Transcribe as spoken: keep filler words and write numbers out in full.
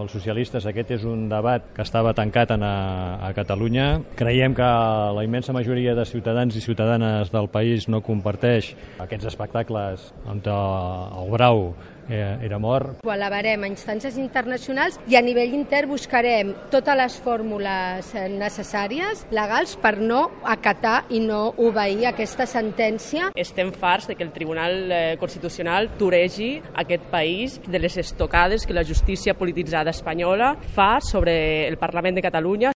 els socialistes aquest és un debat que estava tancat a, a Catalunya. Creiem que la immensa majoria de ciutadans i ciutadanes del país no comparteix aquests espectacles on el brau era mort. Ho elevarem a instàncies internacionals i a nivell intern buscarem totes les fórmules necessàries, legals, per no acatar i no obeir aquesta sentència. Estem farts de que el Tribunal Constitucional toregi aquest país de les estocades que la justícia polititzada espanyola fa sobre el Parlament de Catalunya.